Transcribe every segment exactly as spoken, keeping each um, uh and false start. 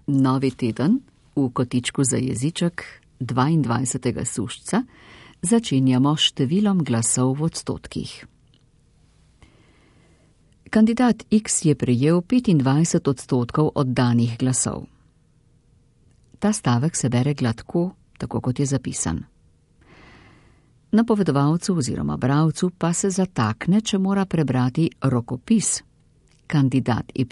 Novi teden v kotičku za jeziček dvaindvajsetega sušca začenjamo s številom glasov v odstotkih. Kandidat X je prejel petindvajset odstotkov oddanih glasov. Ta stavek se bere gladko, tako kot je zapisan. Napovedovalcu oziroma bralcu pa se zatakne, če mora prebrati rokopis. Kandidat Y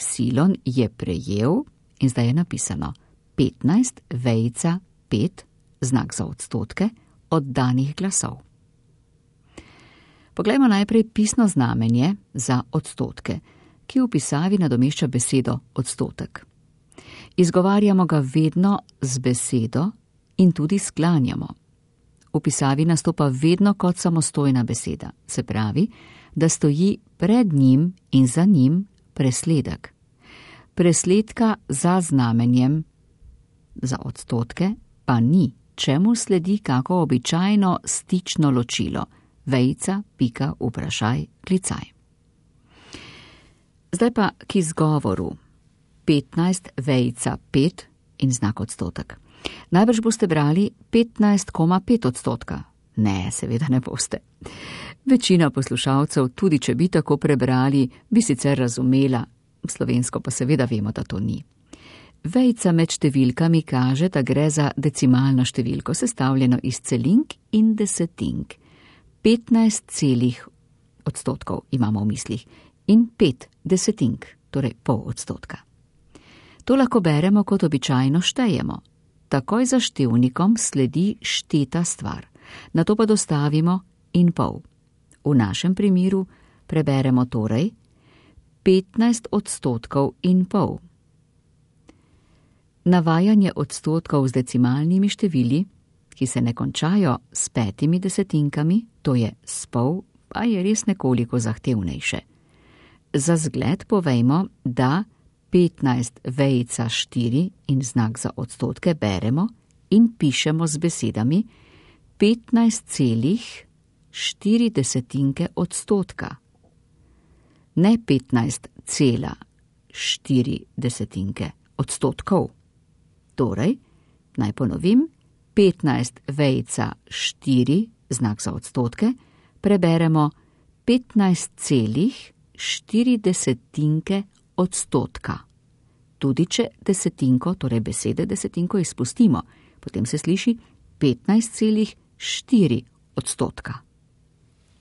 je prejel, in zdaj je napisano petnajst, vejica, pet, znak za odstotke, oddanih glasov. Poglejmo najprej pisno znamenje za odstotke, ki v pisavi nadomešča besedo odstotek. Izgovarjamo ga vedno z besedo in tudi sklanjamo. V pisavi nastopa vedno kot samostojna beseda, se pravi, da stoji pred njim in za njim presledek. Presledka za znamenjem za odstotke pa ni, čemu sledi kako običajno stično ločilo, vejica, pika, vprašaj, klicaj. Zdaj pa k izgovoru. petnajst, vejica, pet in znak odstotek. Najbrž boste brali petnajst komma pet odstotka. Ne, seveda ne boste. Večina poslušalcev, tudi če bi tako prebrali, bi sicer razumela, slovensko pa seveda vemo, da to ni. Vejica med številkami kaže, da gre za decimalno številko, sestavljeno iz celink in desetink. petnajst celih odstotkov imamo v mislih in pet desetink, torej pol odstotka. To lahko beremo kot običajno štejemo. Takoj za števnikom sledi šteta stvar, nato pa dostavimo in pol. V našem primeru preberemo torej petnajst odstotkov in pol. Navajanje odstotkov z decimalnimi števili, ki se ne končajo s petimi desetinkami, to je s pol, pa je res nekoliko zahtevnejše. Za zgled povejmo, da petnajst vejica štiri in znak za odstotke beremo in pišemo z besedami petnajst celih štiri desetinke odstotka. Ne petnajst cela štiri desetinke odstotkov. Torej, naj ponovim, petnajst vejica štiri, znak za odstotke, preberemo petnajst celih štiri desetinke odstotka. Tudi če desetinko, torej besede desetinko izpustimo, potem se sliši petnajst celih štiri odstotka.